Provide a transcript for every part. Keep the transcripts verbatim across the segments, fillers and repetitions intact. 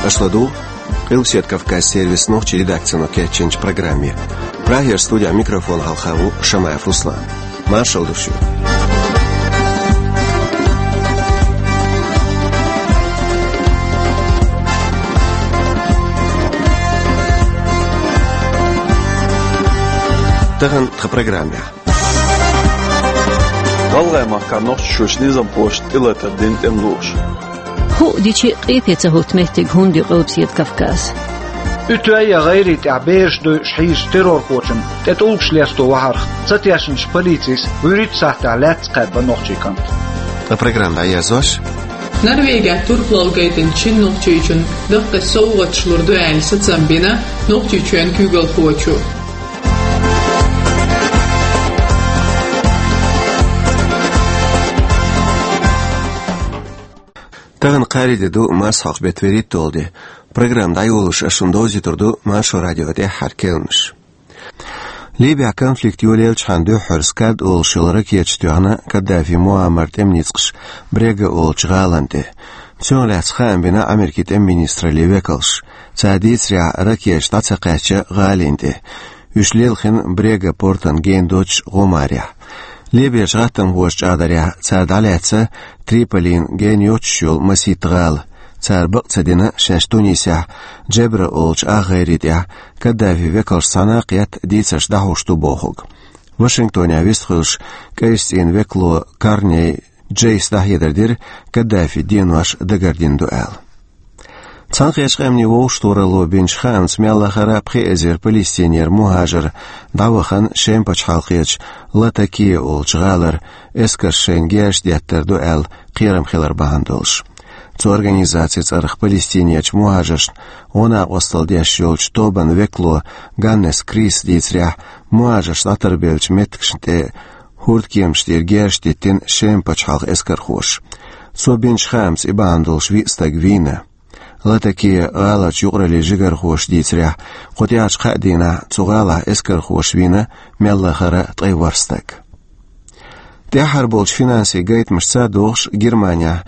Аша ладугӀу Къилбаседа Кавказ сервисан нохчийн редакцино кечйинчу программе. Прагера студехь микрофон хьалха ву Шамаев Руслан. Маршалла ду шуьга. Тахана тхан программехь. ГӀалгӀай махкахь Нохчийчуьрчу низамхоша тӀелатар дина тӀемалоша. Хуу дичи къепе ца хӀутту меттиг хӀунда ю Къилбаседа Кавказ? Уьтту я гӀайре тӀехь бераш дойуш хьийзачу террорхочунна тӀе тӀулгаш лесто вахьарх ца тешначу полицис вуьрхӀитта сахьтехь лаьцна кхаьбна нохчийн кӀант. Ткъа программа дӀаерзош. Норвегехь турпалалла гайтинчу шина нохчичунна даккхий совгӀаташ лур ду аьлла сацам бина Нохчийчоьнан куьйгалхочо. Тахана кхаарин де ду, марсхьокху беттан вуьрхӀитталгӀа де. Программа дӀайолош ас шуна довзуьйтур ду Маршо радион тӀаьххьара керланаш. Ливехь конфликт йолаелчхьана дуьххьара Скад олуш йолу ракеташ тоьхна Каддафи Муаммаран тӀеман ницкъаша Брега олучу гӀалина тӀе. Цунах лаьцна хаам бина Америкин тӀеман министраллин векалша. Цара дийцарехь, ракеташ дӀа ца кхаьчна гӀалина тӀе. Уьш лелхина Брега портана гена доцучу гӀомарехь. Ливерчу гӀаттамхоша чӀагӀдарехь, цара дӀалаьцна Триполина гена йоцуш йолу масийтта гӀала. Цара бакъ ца дина шаьш Тунисехь Джебра олучу ах гӀайре тӀехь Каддафин векалшца цхьаьна кхетта дийцарш дӀахьош ду бохург. Вашингтонехь вистхуьлуш, КӀайчу цӀийнан векало Корней Джейс дӀахьедар дира, Каддафин денош дагардина ду аьлла. Цхьаьнакхеттачу Къаьмнийн Вовшахтохаралло бинчу хаамца, мел лахара пхи эзар Палестинера мухӀажар дӀавахана Шема пачхьалкхерчу Латакия олучу гӀалара, эскарша шайна герзаш деттар ду аьлла кхерам хилар бахьана долуш. Цу организацин цӀарах Палестинерчу мухӀажаршна гӀо-накъосталла деш йолчу тобанан векало Ганнес Крис дийцарехь, мухӀажарш дӀатарбеллачу меттигашна тӀе хӀордкеманаш тӀера герзаш диттина Шема пачхьалкхан эскархоша. Цо бинчу хаамца, и бахьана долуш виъ стаг вийна. Латакия гӀаларчу юкъараллин жигархоша дийцарехь, кху тӀаьхьарчу кхаа дийнахь цу гӀалахь эскархоша вийна мел лахара ткъе ворхӀ стаг. ТӀаьххьара болчу финансийн гайтамашца догӀуш, Германехь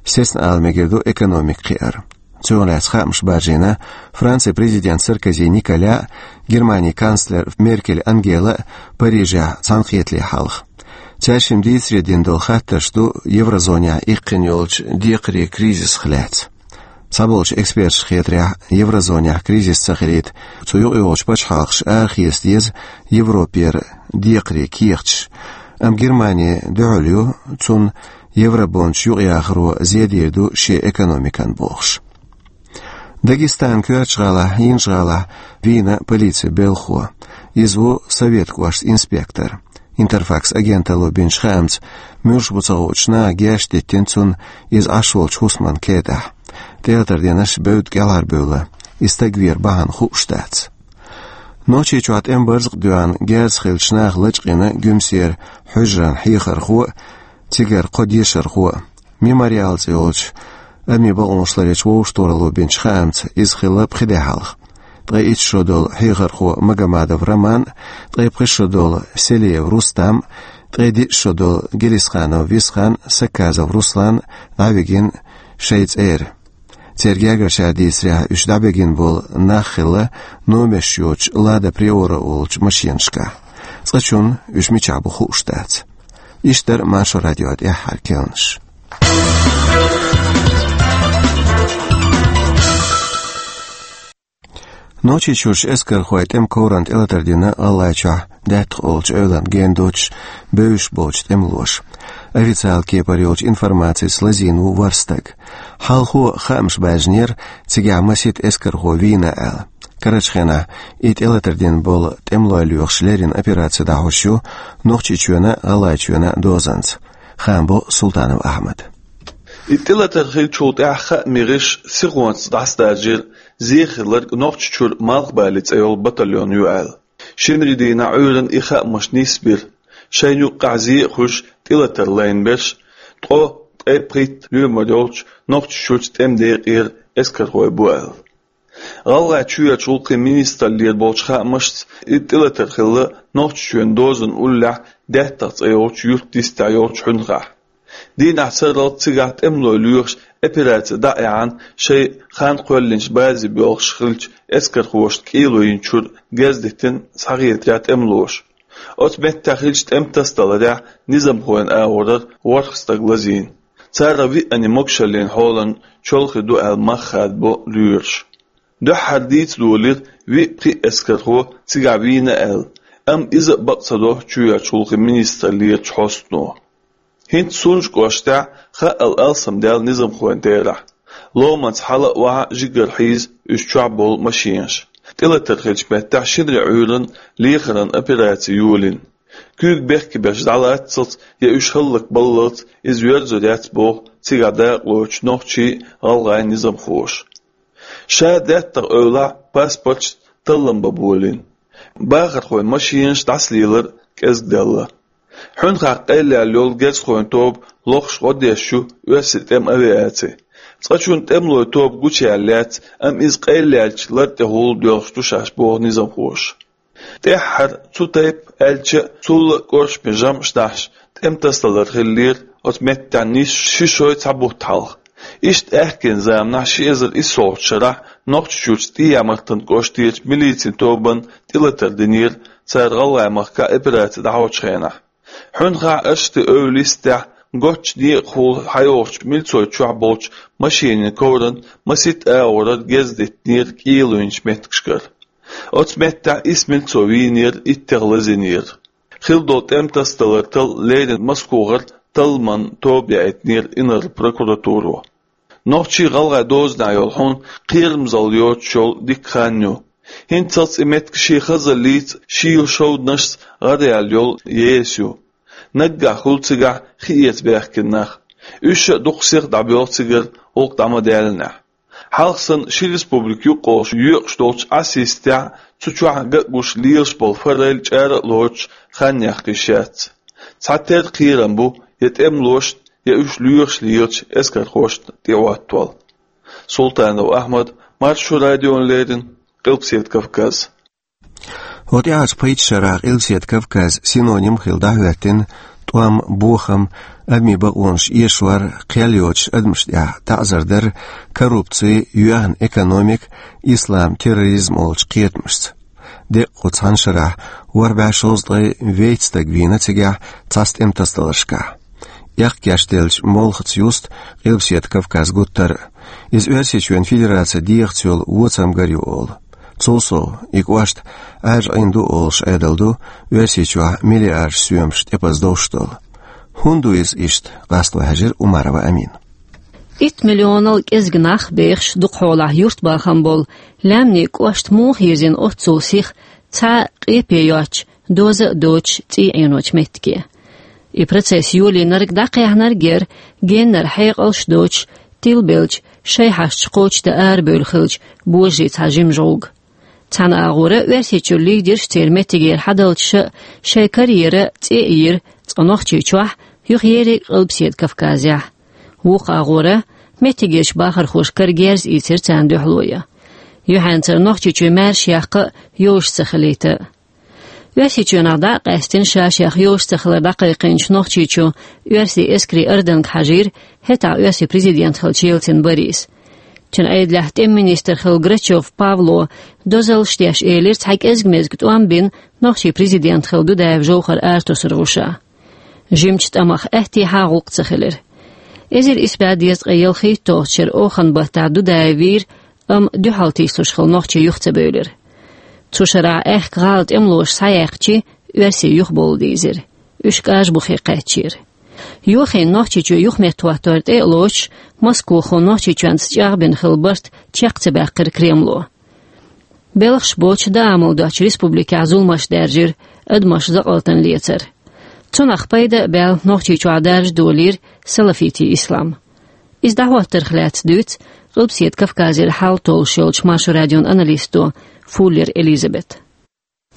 сецна ала мегар ду экономика кхиар. Цунах лаьцна хаамаш баржийна Францин президент Саркози Николя а, Германин канцлер Меркель Ангела а Парижехь цхьаьнакхетале хьалха. Цаьршимма дийцаре дина долу хаттарш ду еврозонехь иккхина йолчу декхарийн кризисах лаьцна. Цхьаболчу эксперташна хетарехь, еврозонехь кризис ца хилийта, цу юкъайогӀучу пачхьалкхаша арахеца деза Европера декхарийн кехаташ. Амма Германи дуьхьал ю цунна, евробондаш юкъаяхаро зен дийр ду шен экономикана бохуш. Дагестанан коьртачу гӀалахь, Хьенаш гӀалахь вийна полицин белхахо. Иза ву Советан кӀоштан инспектор. Интерфакс агенталло бинчу хаамца, муьлш бу ца хуучу наха герзаш диттина цунна иза Ӏаш волчу хӀусаман кетӀахь. ТӀелатар динарш бевдда кӀелхьарбевлла, и стаг веран бахьана хууш дац. Нохчийчохь тӀеман барзакъ доьхна герзахилчу наха лачкъийна Гуьмсера хьуьжаран хьехархо а, цигара кхо дешархо а. Мемориал цӀе йолчу адамийн бакъонаш ларъечу вовшахтохаралло бинчу хаамца, иза хилла пхи де хьалха. Ткъе итт шо долу хьехархо Магомадов Роман, ткъе пхи шо долу Селиев Рустам, ткъе диъ шо долу Гелисханов Висхан, Сакказов Руслан дӀавигина шайн цӀера. Церан гергарчара дийцарехь, уьш дӀабигина болу нах хилла номерш йоцучу Лада Приора олучу машенашкахь. Цкъачунна уьш мичахь бу хууш дац. Иштта дара Маршо радион тӀаьххьара керланаш. Нохчийчуьрчу эскархойн тӀеман коврана тӀелатар дина ГӀалгӀайчохь Даьттах олучу эвлана гена доцуш бевзаш болчу тӀемалоша. Официалан кепара йолчу информацица лазийна ву ворхӀ стаг. Хьалхо хаамаш баьржинера, цигахь масийтта эскархо вийна аьлла. Карарчу хенахь и тӀелатар дина болу тӀемалой лоьхуш леррина операци дӀахьош ю Нохчийчоьнан а, ГӀалгӀайчоьнан а дозанца. Хаам бо Султанов Ахьмада. И тӀелатар хиллачул тӀаьхьа хаамийн гӀирсаша сихонца дӀасадаржийра, зен хилларг Нохчийчуьра Малхбале цӀе йолу батальон ю аьлла. Шинарин дийнахь Ӏуьйранна и хаамаш нисбира. Шайна юккъехь зен а хуьлуш, тӀелатар лайна берш ткъо, ткъе пхийтта лоьмар йолчу Нохчийчуьрчу тӀеман декъера эскархой бу аьлла. ГӀалгӀайчуьрчу гӀуллакхийн министраллера болчу хаамашца, и тӀелатар хилла Нохчийчоьнан дозанан уллехь Даьттах цӀе йолчу юьртан дистехь йолчу хьуьнхахь. Дийнахьа сарралц цигахь тӀемалой лоьхуш операци дӀа а яьхьна, шайн хан кхоьллинчу базе боьлхуш хиллачу эскархошна кӀело йинчуьра герз диттина схьахетарехь тӀемалоша. Оцу меттехь хиллачу тӀемтасадаларехь низамхойн агӀорара ворхӀ стаг лазийна. Царах виъанна могушаллин хьолан чолхе ду аьлла мах хадабо лоьраша. Дуьххьара дийца долийра виъ-пхиъ эскархо цигахь вийна аьлла, амма иза а бакъ ца до чоьхьарчу гӀуллакхийн министраллерачу хьостано. ХӀинца Сунжа кӀоштахь хаъал алсамдаьлла низамхойн терахь. Ломанца хьала а, охьа а жигара хьийза уьш чохь болу машенаш. ТӀелатар хиллачу меттехь шинарин Ӏуьйранна лехаран операци йолийна. Куьйга бехке беш дӀалаццалц я уьш хӀаллакбаллалц иза йоьрзур яц боху цигахь дакъалоцучу нохчийн а, гӀалгӀайн а низамхоша. Ша деттах эвлахь паспорташна таллам бан болийна. Бахархойн машенаш дӀасалелар кӀезиг даьлла. Хьуьнхахь къайлаяьлла йолу герзахойн тоба лохуш гӀо деш ю оьрсийн тӀеман авиаци. Цкъачунна тӀемалойн тоба гучуяьлла яц, амма иза къайлаяьллачу лар тӀехула доьлхуш ду шаьш боху низамхоша. ТӀаьххьара цу тайпа аьлча а, цул а кӀоршаме жамӀаш дахьаш, тӀемтасадалар хиллера оцу меттехь нисса ши шой цхьа бутт хьалха. Иштта аьхкенан заманахь ши эзар иссолгӀачу шарахь Нохчийчуьрчу ТӀехьа-Мартан кӀоштарчу милицин тобанна тӀелатар динера цара ГӀалгӀай-махкахь операци дӀахьочу хенахь. Хьуьнхахь, Ашти-Эвла йистехь, готтачу некъахула хьайогӀучу милцой чохь болчу машенийн ковранна масийтта агӀорара герз диттинера кӀело йинчу меттигашкара. Оцу меттехь исс милцо вийнера, иттех лазийнера. Хилла долу тӀемтасадалар талла леррина Москохара талламан тоба яийтинера инарла прокуратуро. Нохчийн, гӀалгӀайн дозанехь йолу хьуна кхерамзалла йоцуш йолу дика хан ю. ХӀинццалц и меттиг шен хазаллица, шийла шовданашца гӀараяьлла йолу еса ю. Наггахь хуьлу цигахь хи эца баьхкина нах. Уьш а дукха сиха дӀабоьлху цигара гӀуллакх дӀа ма даьллинехь. Хьалха санна ши республика юккъе йоькъуш долчу Ӏаса йистехь, цу чохь ган а гуш лелаш болу форель чӀара а лоцуш хан яккха йиш яц. Цхьатерра кхерам бу я тӀемалошна, я уьш лоьхуш лелачу эскархошна тӀеӀоттавала. Султанов Ахьмад, Маршо радиона леррина, Къилбаседа Кавказ. ХӀокху тӀаьхьарчу пхийтта шарахь Къилбаседа Кавказ синоним хилла дӀахӀоьттина тӀом, бохам, адамийн бакъонаш эшор, кхел йоцуш адамашна тӀехь таӀзар дар, коррупци, йоьхна экономика, ислам, терроризм олучу кхетамашца. Декъа кху цхьана шарахь ворхӀ бӀе шовзткъе вейтта стаг вийна цигахь цхьацца тӀемтасадаларшкахь. Эккха гечделлачу молхаца юста Къилбаседа Кавказ гуттар а. Иза Оьрсийчоьнан Федерацин дегӀаца йолу воцам гар ю олу. Цул сов, и кӀошт Ӏаьржа Ӏийна ду олуш Ӏедал ду Оьрсийчохь миллиардаш соьмаш тӀепаза довш долу. ХӀунда ду иза иштта, къасто хьаьжира Умарова Амина. Итт миллионал кӀезиг нах бехаш дукха хьолахь юртбахам болу Лаьмнийн кӀошт муха йирзина оццул сиха, цхьа а къепе йоцуш, доза а доцуш цӀий Ӏеночу меттиге? И процесс йолийнарг дӀакхехьнарг яра геннара хьекъалш доцуш, тилбелча, шайн хьашташ кхочушдан арабевлла хиллачу божарийн цхьа жима жӀовг. Цхьана агӀора Оьрсийчуьра лидерш церан меттигера хьадалча а, шайн карьера цӀе а йира цкъа Нохчийчохь, юха ерриг Къилбаседа Кавказехь. Вукху агӀора меттигерчу бахархоша кара герз ийцира царна дуьхьало ян. Юьхьанцара Нохчийчоь маьрша яккха а, йовш ца хилийта а. Оьрсийчоьнах дӀа а къаьстина, ша-шех йовш ца хилар дӀакхайкхийначу Нохчийчу оьрсийн эскарийн арданга хьажийра хӀетахь оьрсийн президент хиллачу Ельцин Борис. Цуьнан Ӏедалехь тӀеман министр хилла Грачев Павло дозаллаш деш элира цхьа кӀезиг-мезиг тӀом бина нохчийн президент хилла Дудаев Жовхар аратосар гӀуша. Жимачу тӀамах аьттехьа а гӀуллакх ца хилира. Эзар исс бӀе дезткъе ялхитталгӀачу шеран охан баттахь Дудаев вийра, амма дуьхьал тийсалуш хилла нохчий юха ца бевлира. Цу шарахь аьхка гӀала тӀемалоша схьаяьккхича, оьрсий юхабовла дийзира. Уьш кӀажбухе кхаьчнера. Йохийна Нохчийчоь юхаметтахӀоттор тӀе а лоцуш, Москохо Нохчийчоьнца чӀагӀбина хилла барт чекх ца баьккхира Кремло. Белхаш боцуш, даа-мала доцучу республикехь зуламаш даьржира, адамаш закъалтана лецара. Цунах пайда а баьлла, Нохчийчохь даржа долийра салафитийн ислам. Иза дӀахӀоттарх лаьцна дуьйцу Къилбаседа Кавказера хьал толлуш йолчу Маршо радион аналисто Фуллер Элизабета.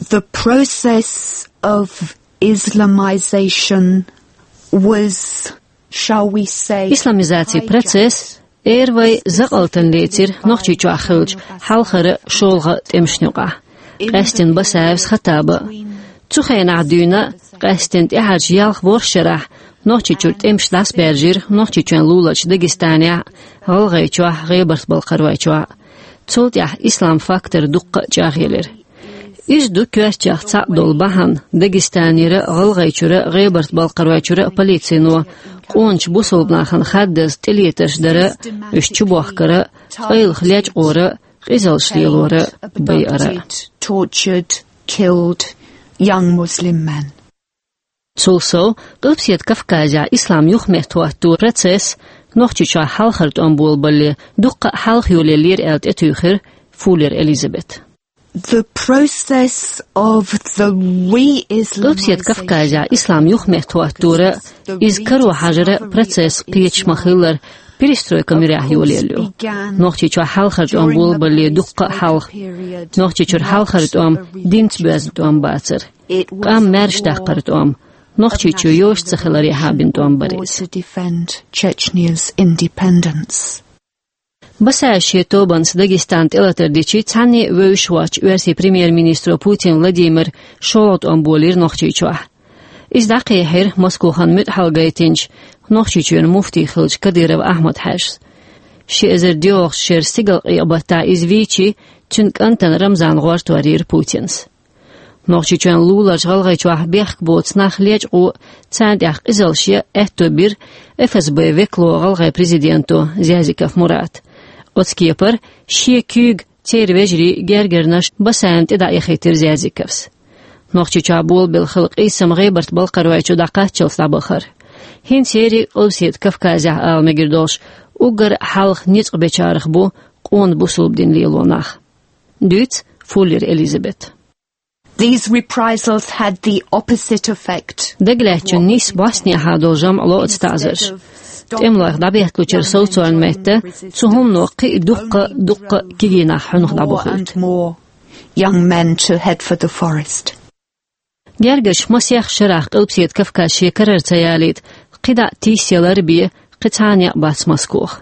The process of Islamization was, shall we say, исламизацин процесс, эр вай, закъалтана лецира Нохчийчохь хиллачу хьалхара, шолгӀа тӀемашна юкъахь. Къаьстина Басаевс, Хаттаба. Цу хенахь дуьйна, къаьстина тӀаьхьарчу ялх-ворхӀ шарахь Нохчийчуьра тӀемаш дӀасабаьржира Нохчийчоьнан луларчу Дагестанехь а, ГӀалгӀайчохь а, ГӀебарта-Балкхаройчохь а. Цул тӀаьхьа ислам фактор дуккха а чӀагӀъелира. Иза ду коьртачех цхьаъ долу бахьана Дагестанера а, ГӀалгӀайчуьра а, ГӀебарта-Балкхаройчуьра а полицино къоначу бусалба нахана хаддаза тӀелетарш дар а, уьш чубохкар а, къайлаха лечкъор а, къизаллаш лелор а, байар а. Tortured, killed young Muslim men. Цул сов, Къилбаседа Кавказехь ислам юхаметтахӀотторан процесс Нохчийчохь хьалхара тӀом болабалале дуккха а хьалха йолаеллера аьлла тӀетуьйхира Фуллер Элизабета. The process of the re-Islamization. Къилбаседа Кавказехь ислам юхаметтахӀотторан, иза каро хьажаран процесс кхеташ ма-хиллара, перестройка муьрехь йолаелла ю. Нохчийчохь хьалхара тӀом болабалале дуккха а хьалха. Нохчийчуьра хьалхара тӀом динца боьзна тӀом бацара. Къам маьрша даккхара тӀом, Нохчийчоь йоша ца хиларехьа бина тӀом бара иза. To defend Chechny's independence. Басаев шен тобанца Дагестан тӀелатар дичи цхьанне а вевзаш воцчу Оьрсийн премьер-министро Путин Владимира шолгӀа тӀом болийра Нохчийчохь. Иза дӀакхехьира Москохана муьтӀахьалла гайтинчу, Нохчийчоьнан муфти хиллачу Кадыров Ахьмад-Хьаьжас. Ши эзар доьалгӀачу шеран стигалкъекъа-баттахь иза вийчи, цуьнан кӀантана Рамзана гӀортор йира Путинас. Нохчийчоьнан луларчу ГӀалгӀайчохь бехк боцу нах лечкъо а, царна тӀехь къизаллаш ян а аьтто бира ФСБ-н векало, гӀалгӀайн президенто Зязиков Мурата. Оцу кепара шен куьйга, церан вежарий, гергарнаш Басаевна тӀе дӀаэхийтира Зязиковс. Нохчийчохь болабелла хилла къийсам ГӀебарта-Балкхаройчу дӀакхаччалц дӀабахара. ХӀинца ерриг а Къилбаседа Кавказехь, ала мегар долуш, уггар а хьалха ницкъ бечарах бу къона бусалба дин лело нах. Дуьйцу Фуллер Элизабета. These reprisals had the opposite effect. Дагалаьцначун нийсса бӀостанехьа долу жамӀ ло оцу таӀзарша. ТӀемалойх дӀабетталучуьра совцорна метта, цу хӀумано кхин а дуккха а, дуккха а кегий нах хьуьнах дӀабохуьйту. More and more young men to head for the forest. Гергарчу масех шарахь Къилбаседа Кавказ шен карара ца ялийта, кхидӀа тийсаялар а бен, кхин цхьа а некъ бац Москох.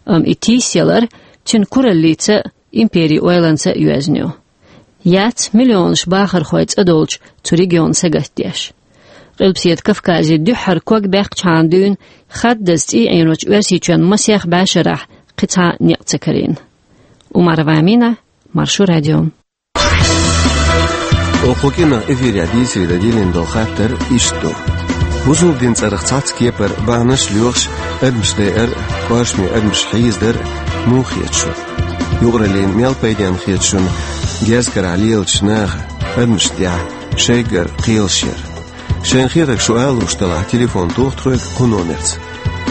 Амма и тийсаялар цуьнан кураллица а, империн ойланца а йоьзна ю. Яц миллионаш бахархой цӀа долчу цу регион сагатдеш. Къилбаседа Кавказе дуьххьара ког баьккхачхьана дуьйна хаддаза цӀий Ӏийночу Оьрсийчоьнан масех бӀешарахь кхин цхьа а некъ ца карийна. Умарова Амина, Маршо радио. Оцу кӀиранах эфирехь дийцаре дан диллина долу хаттар иштта ду: бусалба динан цӀарах цхьацца кепара бахьанаш а лоьхуш, адамаш дайар а, кхошаме адамаш хьийзадар а муха хета шуна? Юкъараллина мел пайденна хета шуна герз карахь лелачу наха адамашна тӀехь шайгара кхелаш яр? Шайна хетарг шу ала лууш делахь, телефон тоха тхоьга кху номерца: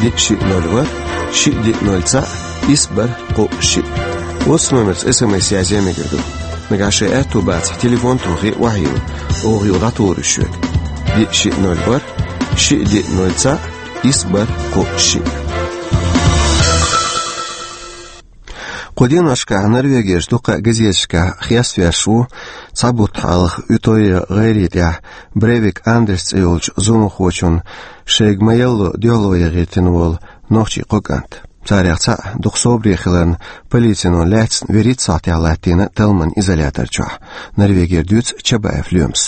диъ шиъ ноль ворхӀ, шиъ диъ ноль цхьаъ, исс бархӀ кхоъ шиъ. Оцу номерца СМС язъян мегар ду. Нагахь шайн аьтто бацахь, телефон тохий, охьайилла, оха юха дӀатухур ю шуьга. Диъ шиъ ноль ворхӀ, шиъ диъ ноль цхьаъ, исс бархӀ кхоъ шиъ. Кху деношкахь Норвегерчу дуккха а газеташкахь хеставеш ву цхьа бутт хьалха Утойя гӀайре тӀехь Брейвик Андерс цӀе йолчу зуламхочунна шайга ма-ялло дуьхьало яхийтина волу нохчийн кхо кӀант. Царех цхьаъ дукха собаре хиларна, полицино лаьцна вуьрхӀитта сахьтехь латтийна талламан изолятор чохь. Норвегера дуьйцу Чабаев Лоьмас.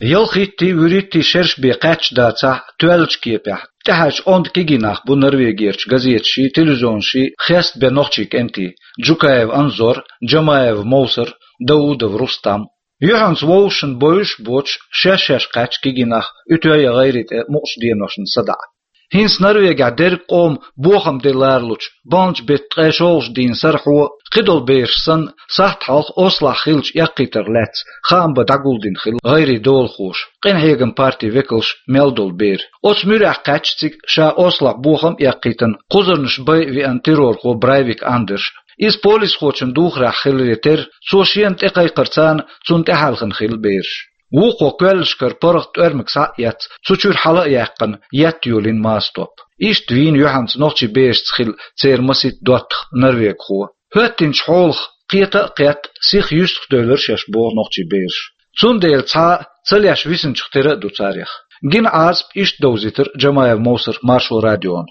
Ялхиттий, вуьрхӀиттий шераш бен кхаьчча дацахь, тоьллачу кепехь, тӀаьхьарчу онда кегий нах бу Норвегерчу газеташий, телевизионаший хестабен нохчийн кӀентий: Джукаев Анзор, Джамаев Мовсар, Даудов Рустам. Юьхьанца вовшашна бовзуш а боцуш, шаьш-шаьш кхаьчна кегий нах Утойя гӀайре тӀе мукъачу деношна садаӀа. ХӀинца Норвегехь дерриг къоман бохам де ларалучу балначу беттан ткъе шолгӀачу дийнан сарахьо, кхидолу бераш санна, сахьт хьалха Ослохь хиллачу эккхийтарх лаьцна хаам бан дӀагулдина хилла гӀайрийн долахоша, къинхьегаман партин векалш мел долу бер. Оцу муьрехь кхаьчна цига ша Ослохь бохам а эккхийтина, кхузарнаш бай а веана террорхо Брайвик Андерш. Иза полисхочун духарехь хиларе терра, цо шена тӀекхайкхарца цунна тӀехьаьлхана хилла бераш. Вукхо коьллашкара паргӀат тӀоьрмиг схьа а эцна, цу чуьра хьала а яьккхина, етта йолийна мастор. Иштта вийна юьхьанца нохчийн берашца хилла церан масийтта доттагӀа норвегхо. ХӀоьттинчу хьолах кхета а кхетта, сиха юьстахдевлира шаьш, боху нохчийн бераша. Цундела цхьа а ца леш висинчух тера а ду царех. Гина Ӏазап иштта довзийтира Джамаев Мовсара Маршо радиона.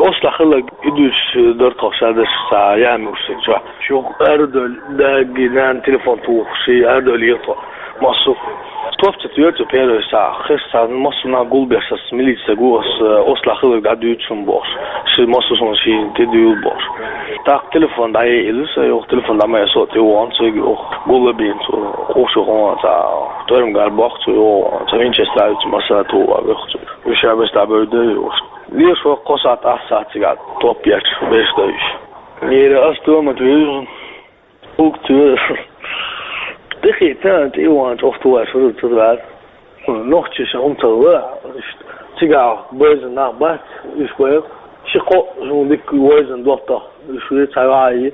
Ослохь хилларг и дуьйцуш дара тхо, ша дерш схьа яьхьна уьш сан чохь. Юха арадевлла, даьггий, нанна телефон тухуш, арадевлла ера тхо массо а. Лопца тӀоьрца первый сахьа, хеша царна массо а нах гулбеш, ас милиция гу, ас, э, ослахилар гӀа дуьйцу шун бохуш. Ши массо а ши тӀе дуьйла бохуш. ТӀаккха телефон дӀаелира, сан йоху телефон дӀа ма эсо тӀе вон, цига йоху гулла бийна цо, къушу гӀо, ца тӀоьрмгар боху цо, йо, ца винчестравица масса ту а веху цо. Уьш а бес дӀа бевдда йохуш. Леша воккхо сахьт, ас сахьт цига топ ечу, беш даьш. Нера ас томат вижу. Угту. Тихий тан тӀе ван чӀогӀа тухуш вара ца вара. Нохчи ша хӀума ца вара. Цигахь бойзан нах бац, уьш вай. Ши-кхо зун дика войзан доттагӀа, уьш вай ца ваьий.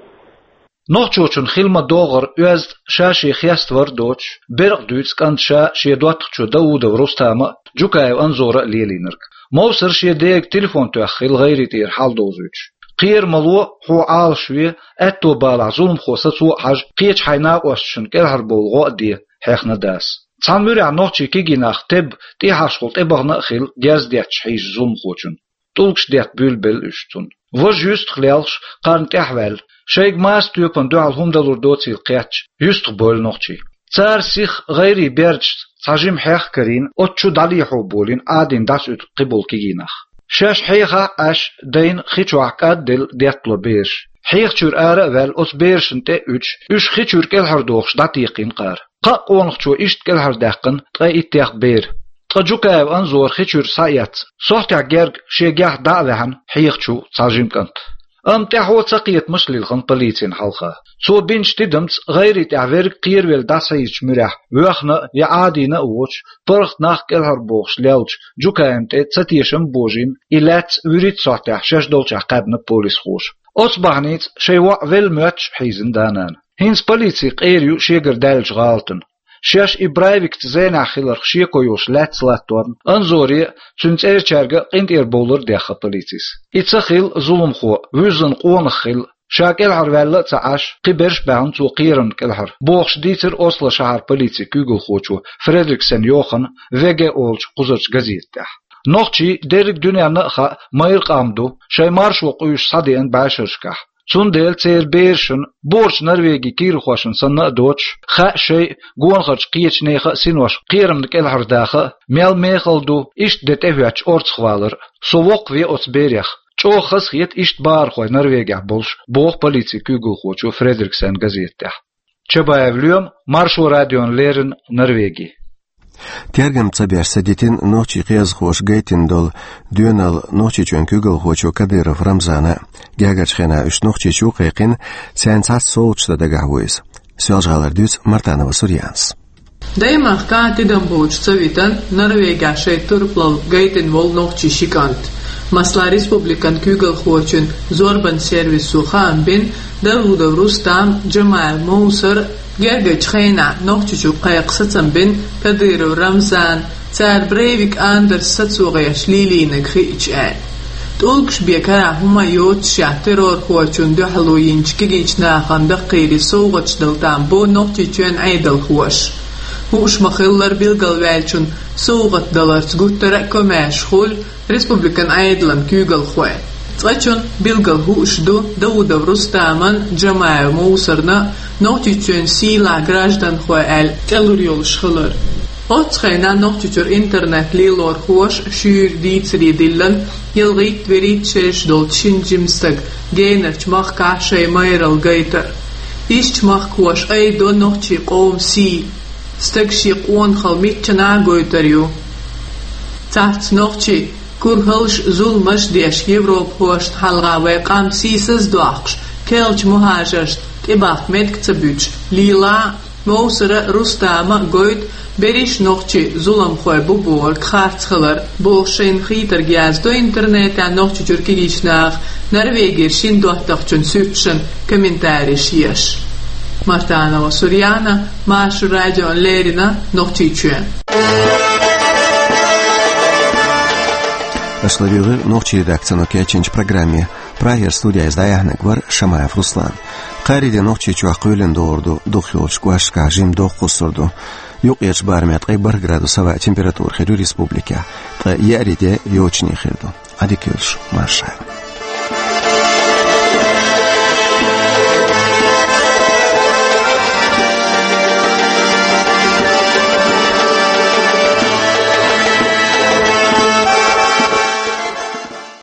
Нохчочун хила ма-догӀара оьзда ша шен хеставар а доцуш, беркъа дуьйцу кӀант ша шен доттагӀчо Даудов Рустама а, Джукаев Анзора а лелийнарг. Мовсар шен дега телефон тоьхна хилла гӀайре тӀера хьал довзуьйтуш. Кхера ма ло, хьо Ӏалаш ве, аьтто балахь зуламхо сацо а хьажа, кхечу хьайн накъосташна кӀелхьарбовла гӀо а де, хьехна дас. Цхьана муьрехь нохчий кегий нах тебба, тӀехьашхула тӀебахана а хилла, герз детташ хьийза зуламхочун. ТӀулгаш детта буьйлабелла уьш цунна. Важа юьстах лелхаш, кхарна тӀаьхьаваьлла, шайга маса тоьпана дуьхьал хӀума далур доцийла кхетча, юьстах бевлла нохчий. Цара сиха гӀайре бердашца цхьа жима хьех а карийна, оцу чу дӀалехьо болийна Ӏадийна дӀасаоьцу кхиболу кегий нах. Шаьш хьехахь а Ӏаш, дайна хи чохь кӀадделла деттало бераш. Хьеха чуьра ара а ваьлла, оцу берашна тӀе а уьдуш, уьш хи чуьра кӀелхьардохуш дӀатекхийна кхара. Кхаа къонахчо иштта кӀелхьардаьккхина ткъе иттех бер. Ткъа Джукаев Анзора хи чуьра схьаэцна, сохьтехь герга шен гехь дӀа а ваьхьна, хьеха чу цхьа жима кӀант. Амма тӀаьхьо цакхетамаш а лилхина полицина хьалха. Цо бинчу тидамца гӀайре тӀехь верг кхеравелла дӀасахьийзачу муьрехь, воьхна а, я Ӏадийна а воцуш, паргӀат нах кӀелхьарбохуш леллачу Джукаевна тӀе цатешам а божийна, и лаьцна вуьрхӀитта сохьтехь шаьш долчохь кхаьбна полисхоша. Оцу бахьаница шайн воӀ велла моьттуш а хьийзина да-нана. ХӀинца полици къера ю шегара даьллачу гӀалатана. Шаьш и Брайвикца зенехь хиларх шеко йолуш лаьцна латторна Анзоре а, цуьнан цӀерачаьрга а къинтӀера бовлар а дехна полицис. И ца хилла зуламхо, вуьззина къонах хилла, ша кӀелхьарваьлла а ца Ӏаш, кхин берш а баьхна цо кхерамна кӀелхьара, бохуш дийцира Осло шахьара полицин куьйгалхочо Фредриксен Йохана В Г олучу кхузарчу газета тӀехь. Нохчий дерриг дуьненна а хаьа, майра къам ду, шайн маршо къуьйсуш схьадеана бӀешерашкахь. Цундела церан берашна, борчу Норвегин куьйгалхошна санна а доцуш, хаьа шайн а, гонахарчу кхечу нехан а синош кхерамна кӀелхьардаха а, мел мехала ду иштта де тӀехӀоьттича орцахвалар а. Со воккхаве оцу берех. ЧӀогӀа хазахета иштта бахархой Норвегехь болуш, боху полицин куьйгалхочо Фредриксен газета тӀехь. Чабаев Лоьма, Маршо радиона леррина, Норвеги. Тергам ца беш ца дитина нохчийн кхиазхоша гайтина долу доьналла Нохчийчоьнан куьйгалхочо Кадыров Рамзана. Гергарчу хенахь уьш Нохчийчу а кхайкхина, царна цхьацца совгӀаташ дан дагахь ву иза. Соьлжа-ГӀалара дуьйцу Мартанова Сурьяна. Даймахкахь тидам боцуш ца витина Норвегехь шайн турпалалла гайтина волу нохчийн ши кӀант. Масала, республикан куьйгалхочун зорбанан сервисо хаам бина, Даудов Рустам, Джамаев Мовсар гергарчу хенахь Нохчийчу кхайкха сацам бина Кадыров Рамзана, цара Брейвик Андерс сацо гӀерташ лелийнарг хиъча аьлла. ТӀулгаш бен карахь хӀума йоццушехь террорхочунна дуьхьало йинчу кегийчу нахана даккхийра совгӀаташ дала там бу Нохчийчоьнан Ӏедалхоша. Хууш ма-хиллара, билгалваьллачунна совгӀат даларца гуттара а комаьрша хуьлу республикан Ӏедалан куьйгалхой. Цкъачунна билггал хууш ду Даудов Рустаман, Джамаев Мовсарна Нохчийчоьнан сийлахь гражданхой аьлла тӀелур йолуш хилар. Оццу хенахь Нохчийчуьра интернет лелорхоша шуьйра дийцаре диллина ялхитта-вуьрхӀитта шераш долчу шина жима стага генарчу махкахь шайн майралла гайтар. Ишттачу махкахоша айдо нохчийн къоман сий, стаг шен къонахалла миччанхьа а гойтур ю. Цхьацца нохчий, курхалш а, зуламаш а деш, европахошна хьалха вайн къам сийсаз а доккхуш, керлачу мухӀажаршна тӀебахка меттиг ца буьтуш, лела а, Мовсара а, Рустама а гойту, берриш нохчий зуламхой бу бохург харц хилар, бохуш шайна хийтарг яздо интернетехь Нохчийчуьра кегийчу наха Норвегера шина доттагӀчун суьрташна комментареш еш. Мартанова Сурьяна, Маршо радиона леррина, Нохчийчоь. Аша ладуьйгӀира нохчийн редакцино кечйинчу программе. Прагера студехь иза дӀаяьхьнарг вара Шамаев Руслан. Кхаарин де Нохчийчохь кхоьлина догӀур ду, дукхахйолчу кӀошташкахь жимма доккха хӀусар ду. Юккъерчу барамехь ткъе бархӀ градус хӀаваъ температура хир ю республикехь, ткъа еарин де йочане хир ду. Ӏадика йойла шу, марша.